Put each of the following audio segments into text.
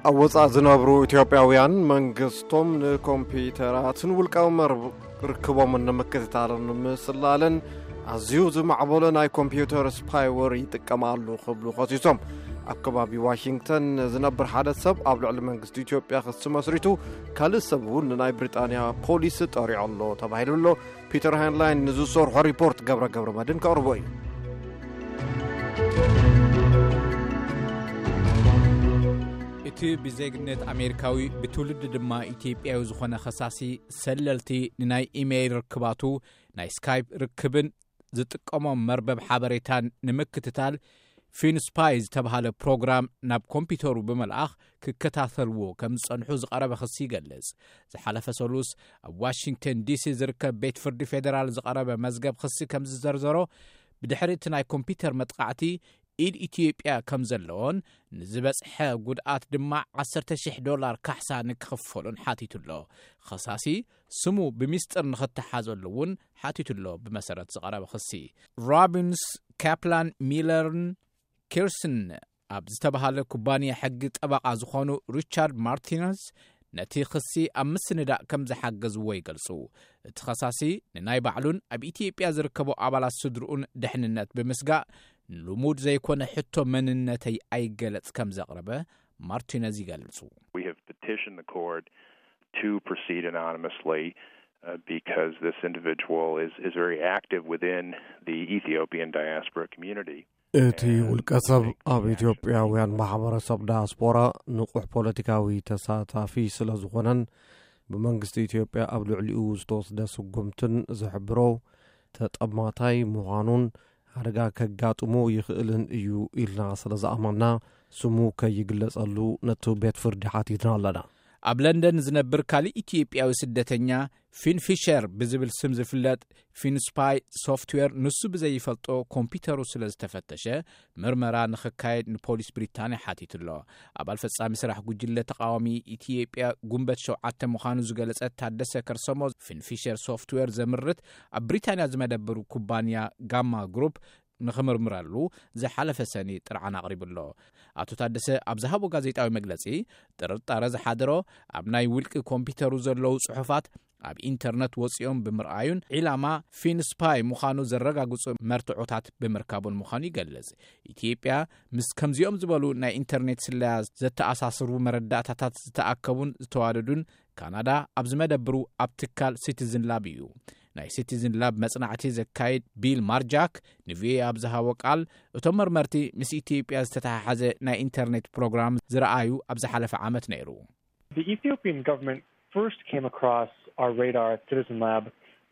ኣብ ወጻኢ ዝነብሩ ኢትዮጵያውያን መንግስቶም ንኮምፒውተራትን ውልቃዊ መርብ ርክቦምን ንምክትታልን ምስላልን ኣዝዩ ዝማዕበለ ናይ ኮምፒውተር ስፓይወር ይጥቀም ኣሎ ክብሉ ከሲሶም። ኣብ ከባቢ ዋሽንግተን ዝነብር ሓደ ሰብ ኣብ ልዕሊ መንግስቲ ኢትዮጵያ ክሲ መስሪቱ፣ ካልእ ሰብ እውን ንናይ ብሪጣንያ ፖሊስ ጠሪዑ ኣሎ ተባሂሉ ኣሎ። ፒተር ሃይንላይን ንዝሰርሖ ሪፖርት ገብረ ገብረ መድን ከቕርቦ እዩ። እቲ ብዜግነት ኣሜሪካዊ ብትውልዲ ድማ ኢትዮጵያዊ ዝኾነ ኸሳሲ፣ ሰለልቲ ንናይ ኢሜይል ርክባቱ፣ ናይ ስካይፕ ርክብን ዝጥቀሞም መርበብ ሓበሬታን ንምክትታል ፊንስፓይ ዝተባሃለ ፕሮግራም ናብ ኮምፒውተሩ ብምልኣኽ ክከታተልዎ ከም ዝጸንሑ ዝቐረበ ክሲ ይገልጽ። ዝሓለፈ ሰሉስ ኣብ ዋሽንግተን ዲሲ ዝርከብ ቤት ፍርዲ ፌደራል ዝቐረበ መዝገብ ክሲ ከም ዝዘርዘሮ፣ ብድሕሪ እቲ ናይ ኮምፒውተር መጥቃዕቲ ኢድ ኢትዮጵያ ከም ዘለዎን ንዝበጽሐ ጉድኣት ድማ ዓሰርተ ሽሕ ዶላር ካሕሳ ንክኽፈሉን ሓቲቱ ኣሎ። ኸሳሲ ስሙ ብሚስጥር ንኽተሓዘሉ እውን ሓቲቱ ኣሎ። ብመሰረት ዝቐረበ ክሲ፣ ሮቢንስ ካፕላን ሚለርን ኪርስን ኣብ ዝተባሃለ ኩባንያ ሕጊ ጠበቓ ዝኾኑ ሪቻርድ ማርቲነዝ ነቲ ክሲ ኣብ ምስንዳእ ከም ዝሓገዝዎ ይገልጹ። እቲ ኸሳሲ ንናይ ባዕሉን ኣብ ኢትዮጵያ ዝርከቡ ኣባላት ስድርኡን ድሕንነት ብምስጋእ፣ ልሙድ ዘይኮነ ሕቶ መንነተይ ኣይገለጽ ከም ዘቕረበ ማርቲነዝ ይገልጹ። We have petitioned the court to proceed anonymously, uh, because this individual is, is very active within the Ethiopian diaspora community. እቲ ውልቀ ሰብ ኣብ ኢትዮጵያውያን ማሕበረሰብ ዳያስፖራ ንቑሕ ፖለቲካዊ ተሳታፊ ስለ ዝኾነን፣ ብመንግስቲ ኢትዮጵያ ኣብ ልዕሊኡ ዝተወስደ ስጉምትን ዝሕብሮ ተጠማታይ ምዃኑን ሓደጋ ከጋጥሞ ይኽእልን እዩ ኢልና ስለ ዝኣመንና፣ ስሙ ከይግለጸሉ ነቲ ቤት ፍርዲ ሓቲትና ኣለና። ኣብ ለንደን ዝነብር ካልእ ኢትዮጵያዊ ስደተኛ፣ ፊን ፊሸር ብዝብል ስም ዝፍለጥ፣ ፊንስፓይ ሶፍትዌር ንሱ ብዘይፈልጦ ኮምፒውተሩ ስለ ዝተፈተሸ፣ ምርመራ ንኽካየድ ንፖሊስ ብሪጣንያ ሓቲቱ ኣሎ። ኣባል ፈጻሚ ስራሕ ጉጅለ ተቓዋሚ ኢትዮጵያ ጉንበት ሸውዓተ ምዃኑ ዝገለጸ ታደሰ ከርሰሞ፣ ፊን ፊሸር ሶፍትዌር ዘምርት ኣብ ብሪጣንያ ዝመደብሩ ኩባንያ ጋማ ግሩፕ ንኽምርምረሉ ዝሓለፈ ሰኒ ጥርዓን ኣቕሪቡ ኣሎ። ኣቶ ታደሰ ኣብ ዝሃቦ ጋዜጣዊ መግለጺ፣ ጥርጣረ ዝሓደሮ ኣብ ናይ ውልቂ ኮምፒውተሩ ዘለዉ ጽሑፋት ኣብ ኢንተርነት ወጺኦም ብምርኣዩን ዒላማ ፊንስፓይ ምዃኑ ዘረጋግጹ መርትዖታት ብምርካቡን ምዃኑ ይገልጽ። ኢትዮጵያ ምስ ከምዚኦም ዝበሉ ናይ ኢንተርኔት ስለያ ዘተኣሳስሩ መረዳእታታት ዝተኣከቡን ዝተዋደዱን ካናዳ ኣብ ዝመደብሩ ኣብ ትካል ሲቲዝን ላብ እዩ። ናይ ሲቲዝን ላብ መጽናዕቲ ዘካይድ ቢል ማርጃክ ንቪኦኤ ኣብ ዝሃቦ ቃል፣ እቶም መርመርቲ ምስ ኢትዮጵያ ዝተተሓሓዘ ናይ ኢንተርኔት ፕሮግራም ዝረኣዩ ኣብ ዝሓለፈ ዓመት ነይሩ። The Ethiopian government first came across our radar at Citizen Lab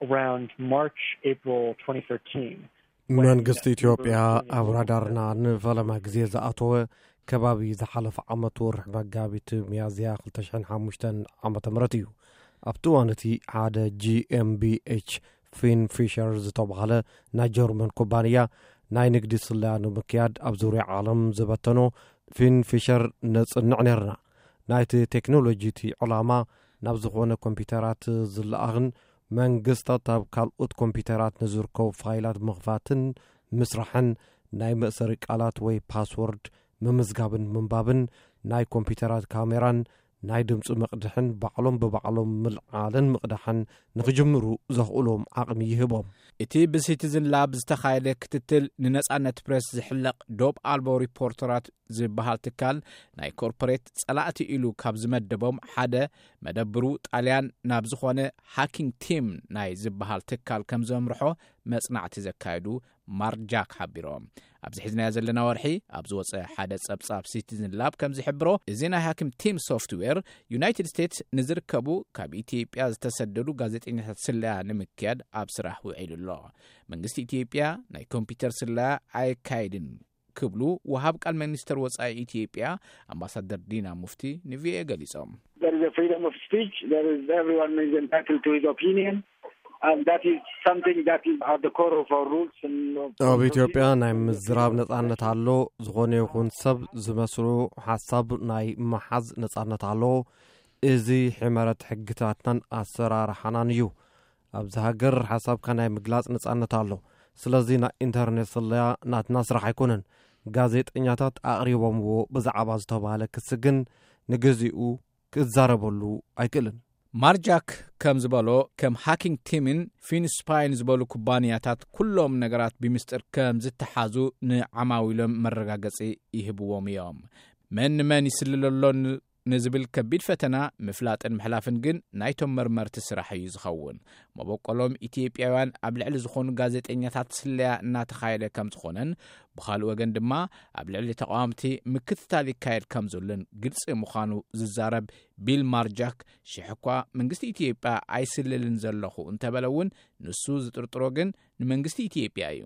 around March, April twenty thirteen. መንግስቲ ኢትዮጵያ ኣብ ራዳርና ንፈለማ ግዜ ዝኣተወ ከባቢ ዝሓለፈ ዓመት ወርሒ መጋቢት፣ ሚያዝያ ክልተ ሽሕን ሓሙሽተን ዓመተ ምህረት እዩ። ኣብቲ እዋን እቲ ሓደ ጂ ኤም ቢ ኤች ፊን ፊሸር ዝተባህለ ናይ ጀርመን ኩባንያ ናይ ንግዲ ስለያ ንምክያድ ኣብ ዙርያ ዓለም ዝበተኖ ፊን ፊሸር ነጽንዕ ነርና። ናይቲ ቴክኖሎጂ እቲ ዕላማ ናብ ዝኾነ ኮምፒውተራት ዝለኣኽን መንግስታት ኣብ ካልኦት ኮምፒውተራት ንዝርከቡ ፋይላት ምኽፋትን ምስራሕን፣ ናይ መእሰሪ ቃላት ወይ ፓስወርድ ምምዝጋብን ምንባብን፣ ናይ ኮምፒውተራት ካሜራን ናይ ድምፂ መቕድሕን ባዕሎም ብባዕሎም ምልዓልን ምቕዳሕን ንኽጅምሩ ዘኽእሎም ዓቕሚ ይህቦም። እቲ ብሲቲዝን ላብ ዝተኻየደ ክትትል፣ ንነጻነት ፕሬስ ዝሕለቕ ዶብ ኣልቦ ሪፖርተራት ዝበሃል ትካል፣ ናይ ኮርፖሬት ጸላእቲ ኢሉ ካብ ዝመደቦም ሓደ፣ መደብሩ ጣልያን ናብ ዝኾነ ሃኪንግ ቲም ናይ ዝበሃል ትካል ከም ዘምርሖ መጽናዕቲ ዘካየዱ ማርክ ጃክ ሓቢሮም። ኣብዚ ሒዝናዮ ዘለና ወርሒ ኣብ ዝወጸ ሓደ ጸብጻብ ሲቲዝን ላብ ከም ዝሕብሮ፣ እዚ ናይ ሃኪንግ ቲም ሶፍትዌር፣ ዩናይትድ ስቴትስ ንዝርከቡ ካብ ኢትዮጵያ ዝተሰደዱ ጋዜጠኛታት ስለያ ንምክያድ ኣብ ስራሕ ውዒሉ ኣሎ። መንግስቲ ኢትዮጵያ ናይ ኮምፒውተር ስለያ ኣየካይድን ክብሉ ወሃብ ቃል ሚኒስተር ወጻኢ ኢትዮጵያ ኣምባሳደር ዲና ሙፍቲ ንቪኦኤ ገሊጾም። There is a freedom of speech. There is, everyone is entitled to his opinion. And that is something that is at the core of our rules. And ኣብ ኢትዮጵያ ናይ ምዝራብ ነጻነት ኣሎ። ዝኾነ ይኹን ሰብ ዝመስሉ ሓሳብ ናይ ምሓዝ ነጻነት ኣሎ። እዚ ሕመረት ሕግታትናን ኣሰራርሓናን እዩ። ኣብዚ ሃገር ሓሳብካ ናይ ምግላጽ ነጻነት ኣሎ። ስለዚ ናይ ኢንተርኔት ስለያ ናትና ስራሕ ኣይኮነን። ጋዜጠኛታት ኣቕሪቦምዎ ብዛዕባ ዝተባህለ ክሲ ግን ንግዜኡ ክዛረበሉ ኣይክእልን። ማርጃክ ከም ዝበሎ፣ ከም ሃኪንግ ቲምን ፊንስፓይን ዝበሉ ኩባንያታት ኩሎም ነገራት ብምስጢር ከም ዝተሓዙ ንዓማዊሎም መረጋገጺ ይህብዎም እዮም። መን ንመን ይስልለሎ ን- ንዝብል ከቢድ ፈተና ምፍላጥን ምሕላፍን ግን ናይቶም መርመርቲ ስራሕ እዩ ዝኸውን። መበቆሎም ኢትዮጵያውያን ኣብ ልዕሊ ዝኾኑ ጋዜጠኛታት ስለያ እናተኻየደ ከም ዝኾነን፣ ብኻልእ ወገን ድማ ኣብ ልዕሊ ተቃወምቲ ምክትታል ይካየድ ከም ዘሎን ግልጺ ምዃኑ ዝዛረብ ቢል ማርጃክ፣ ሽሕ እኳ መንግስቲ ኢትዮጵያ ኣይስልልን ዘለኹ እንተበለ እውን፣ ንሱ ዝጥርጥሮ ግን ንመንግስቲ ኢትዮጵያ እዩ።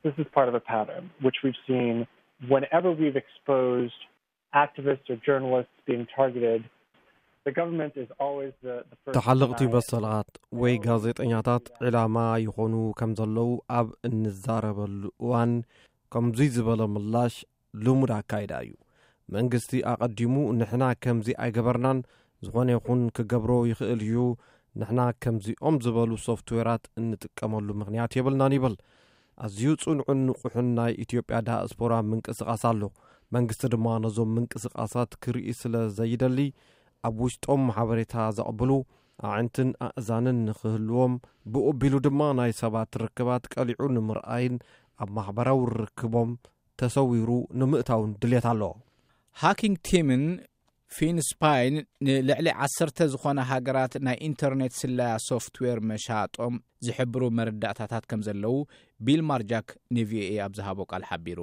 This is part of a pattern which we've seen whenever we've exposed activists or journalists being targeted. The government is always the, the first to ተሓለቕቲ deny it. መሰላት ወይ ጋዜጠኛታት ዕላማ ይኾኑ ከም ዘለዉ ኣብ እንዛረበሉ እዋን፣ ከምዙይ ዝበለ ምላሽ ልሙድ ኣካይዳ እዩ። መንግስቲ ኣቐዲሙ ንሕና ከምዚ ኣይገበርናን፣ ዝኾነ ይኹን ክገብሮ ይኽእል እዩ፣ ንሕና ከምዚኦም ዝበሉ ሶፍትዌራት እንጥቀመሉ ምኽንያት የብልናን ይብል። ኣዝዩ ጽኑዕን ንቑሕን ናይ ኢትዮጵያ ዳያስፖራ ምንቅስቓስ ኣሎ። መንግስቲ ድማ ነዞም ምንቅስቓሳት ክርኢ ስለ ዘይደሊ፣ ኣብ ውሽጦም ሓበሬታ ዘቕብሉ ኣዕንትን ኣእዛንን ንኽህልዎም፣ ብኡ ኣቢሉ ድማ ናይ ሰባት ርክባት ቀሊዑ ንምርኣይን ኣብ ማሕበራዊ ርክቦም ተሰዊሩ ንምእታውን ድሌት ኣሎ። ሃኪንግ ቲምን ፊንስፓይን ንልዕሊ ዓሰርተ ዝኾነ ሃገራት ናይ ኢንተርኔት ስለያ ሶፍትዌር መሻጦም ዝሕብሩ መረዳእታታት ከም ዘለዉ ቢል ማርጃክ ንቪኦኤ ኣብ ዝሃቦ ቃል ሓቢሩ።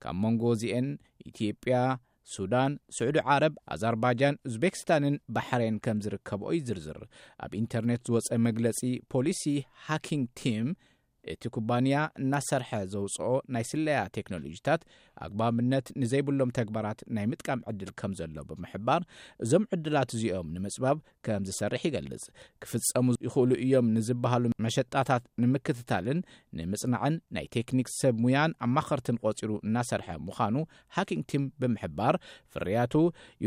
ካብ መንጎ እዚኤን ኢትዮጵያ፣ ሱዳን፣ ስዑዲ ዓረብ፣ ኣዘርባይጃን፣ ኡዝቤክስታንን ባሕሬን ከም ዝርከብኦ ይዝርዝር። ኣብ ኢንተርኔት ዝወጸ መግለጺ ፖሊሲ፣ ሃኪንግ ቲም እቲ ኩባንያ እናሰርሐ ዘውጽኦ ናይ ስለያ ቴክኖሎጂታት ኣግባብነት ንዘይብሎም ተግባራት ናይ ምጥቃም ዕድል ከም ዘሎ ብምሕባር፣ እዞም ዕድላት እዚኦም ንምጽባብ ከም ዝሰርሕ ይገልጽ። ክፍጸሙ ይኽእሉ እዮም ንዝበሃሉ መሸጣታት ንምክትታልን ንምጽናዕን ናይ ቴክኒክ ሰብ ሙያን ኣማኸርትን ቆጺሩ እናሰርሐ ምዃኑ ሃኪንግ ቲም ብምሕባር፣ ፍርያቱ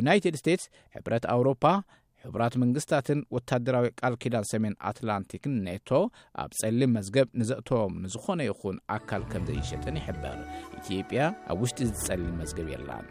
ዩናይትድ ስቴትስ፣ ሕብረት ኣውሮፓ፣ ሕቡራት መንግስታትን ወታደራዊ ቃል ኪዳን ሰሜን ኣትላንቲክን ኔቶ ኣብ ጸሊም መዝገብ ንዘእተዎም ንዝኾነ ይኹን ኣካል ከም ዘይሸጥን ይሕበር። ኢትዮጵያ ኣብ ውሽጢ እዚ ጸሊም መዝገብ የላን።